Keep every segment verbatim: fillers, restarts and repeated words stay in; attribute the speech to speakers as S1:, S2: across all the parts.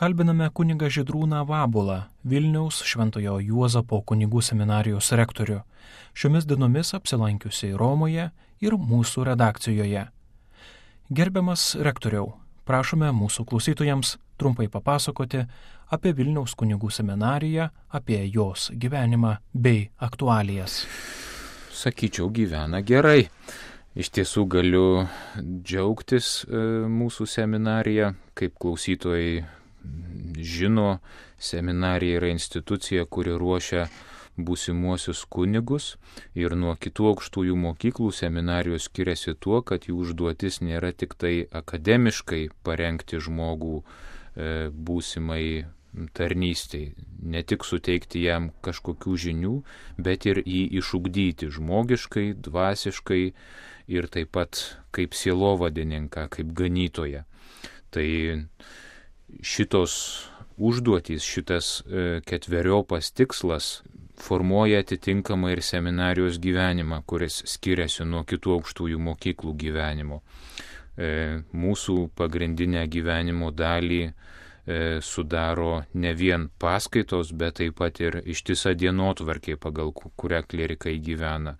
S1: kalbiname kunigą Žydrūną Vabulą, Vilniaus Šventojo Juozapo kunigų seminarijos rektorių, šiomis dienomis apsilankiusiai Romoje ir mūsų redakcijoje. Gerbiamas rektoriau, prašome mūsų klausytojams trumpai papasakoti apie Vilniaus kunigų seminariją, apie jos gyvenimą bei aktualijas.
S2: Sakyčiau, gyvena gerai. Iš tiesų galiu džiaugtis e, mūsų seminarija, kaip klausytojai žino, seminarija yra institucija, kuri ruošia būsimuosius kunigus ir nuo kitų aukštųjų mokyklų seminarijos skiriasi tuo, kad jų užduotis nėra tik tai akademiškai parengti žmogų e, būsimai tarnystei, ne tik suteikti jam kažkokių žinių, bet ir jį išugdyti žmogiškai, dvasiškai ir taip pat kaip sielovadininką, kaip ganytoją. Tai šitos užduotys, šitas e, ketveriopas tikslas formuoja atitinkamai ir seminarijos gyvenimą, kuris skiriasi nuo kitų aukštųjų mokyklų gyvenimo. E, mūsų pagrindinę gyvenimo dalį e, sudaro ne vien paskaitos, bet taip pat ir ištisa dienotvarkė, pagal kurią klierikai gyvena.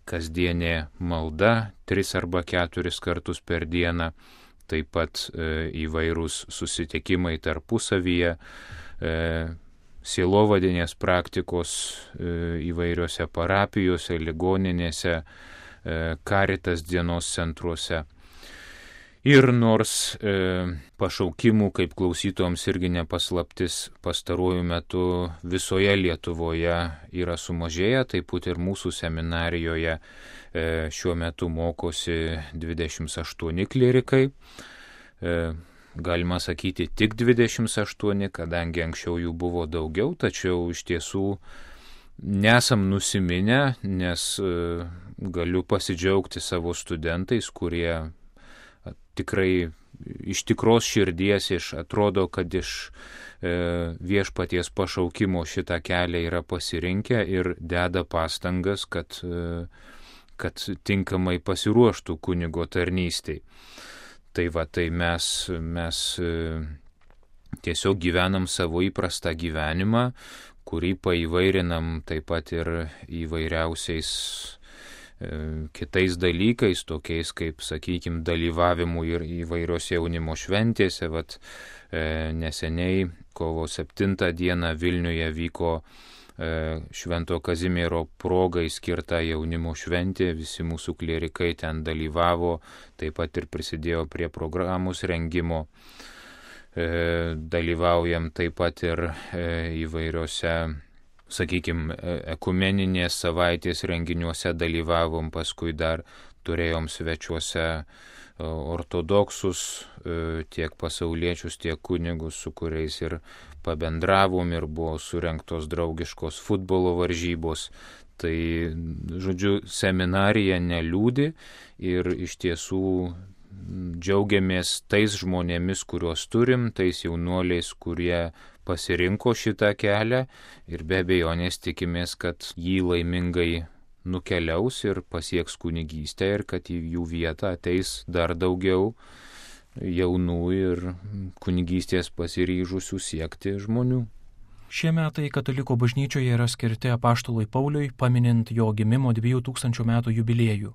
S2: Kasdienė malda, tris arba keturis kartus per dieną, taip pat e, įvairūs susitikimai tarpusavyje, e, sielovadinės praktikos e, įvairiose parapijose, ligoninėse, e, Caritas dienos centruose. Ir nors e, pašaukimų, kaip klausytojams irgi nepaslaptis, pastaruoju metu visoje Lietuvoje yra sumažėję, taip pat ir mūsų seminarijoje e, šiuo metu mokosi dvidešimt aštuoni klierikai. E, galima sakyti tik dvidešimt aštuoni, kadangi anksčiau jų buvo daugiau, tačiau iš tiesų nesam nusiminę, nes e, galiu pasidžiaugti savo studentais, kurie tikrai iš tikros širdies, iš atrodo, kad iš e, viešpaties pašaukimo šitą kelią yra pasirinkę ir deda pastangas, kad, e, kad tinkamai pasiruoštų kunigo tarnystei. Tai va, tai mes, mes e, tiesiog gyvenam savo įprastą gyvenimą, kurį paįvairinam taip pat ir įvairiausiais kitais dalykais, tokiais kaip, sakykime, dalyvavimu ir įvairiose jaunimo šventėse. Vat, e, neseniai kovo septintą dieną Vilniuje vyko e, Švento Kazimiero progai skirta jaunimo šventė, visi mūsų klierikai ten dalyvavo, taip pat ir prisidėjo prie programos rengimo. E, dalyvaujam taip pat ir e, įvairiose, sakykime, ekumeninės savaitės renginiuose dalyvavom, paskui dar turėjom svečiuose ortodoksus, tiek pasauliečius, tiek kunigus, su kuriais ir pabendravom ir buvo surengtos draugiškos futbolo varžybos. Tai, žodžiu, seminarija neliūdi ir iš tiesų džiaugiamės tais žmonėmis, kuriuos turim, tais jaunuoliais, kurie pasirinko šitą kelią ir be abejonės tikimės, kad jį laimingai nukeliaus ir pasieks kunigystę ir kad į jų vietą ateis dar daugiau jaunų ir kunigystės pasiryžusių siekti žmonių.
S1: Šie metai Katalikų bažnyčioje yra skirti apaštalui Pauliui, paminint jo gimimo dviejų tūkstančių metų jubiliejų.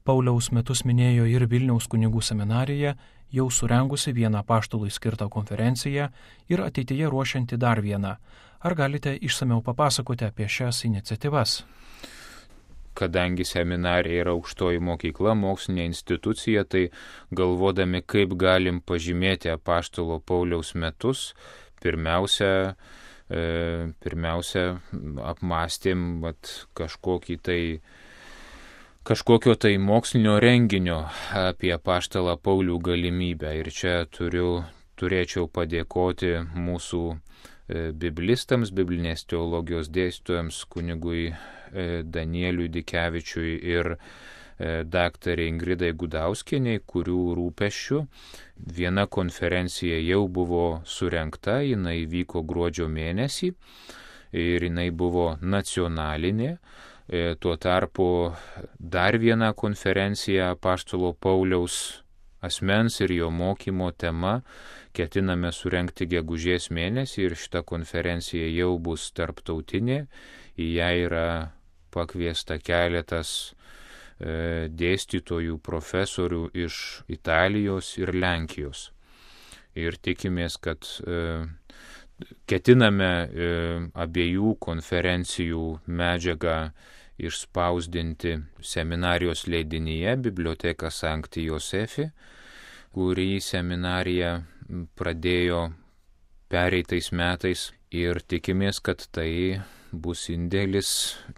S1: Pauliaus metus minėjo ir Vilniaus kunigų seminarija, jau surengusi vieną apaštalui skirtą konferenciją ir ateityje ruošianti dar vieną. Ar galite išsamiau papasakoti apie šias iniciatyvas?
S2: Kadangi seminarija yra aukštoji mokykla, mokslinė institucija, tai galvodami, kaip galim pažymėti apaštalo Pauliaus metus, pirmiausia, e, pirmiausia apmąstėm vat, kažkokį tai kažkokio tai mokslinio renginio apie apaštalą Paulių galimybę. Ir čia turiu, turėčiau padėkoti mūsų biblistams, biblinės teologijos dėstytojams, kunigui Danieliui Dikevičiui ir daktarė Ingridai Gudauskienei, kurių rūpesčių viena konferencija jau buvo surengta, jinai vyko gruodžio mėnesį ir jinai buvo nacionalinė. Tuo tarpu dar viena konferencija apaštalo Pauliaus asmens ir jo mokymo tema ketiname surenkti gegužės mėnesį ir šita konferencija jau bus tarptautinė. Į ją yra pakviesta keletas e, dėstytojų, profesorių iš Italijos ir Lenkijos. Ir tikimės, kad e, ketiname e, abiejų konferencijų medžiagą išspausdinti seminarijos leidinyje Biblioteka Sancti Josefi, kurį seminarija pradėjo pereitais metais, ir tikimės, kad tai bus indėlis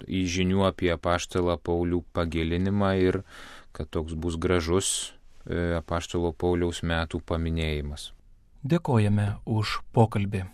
S2: į žinių apie apaštalą Paulių pagilinimą ir kad toks bus gražus apaštalo Pauliaus metų paminėjimas.
S1: Dėkojame už pokalbį.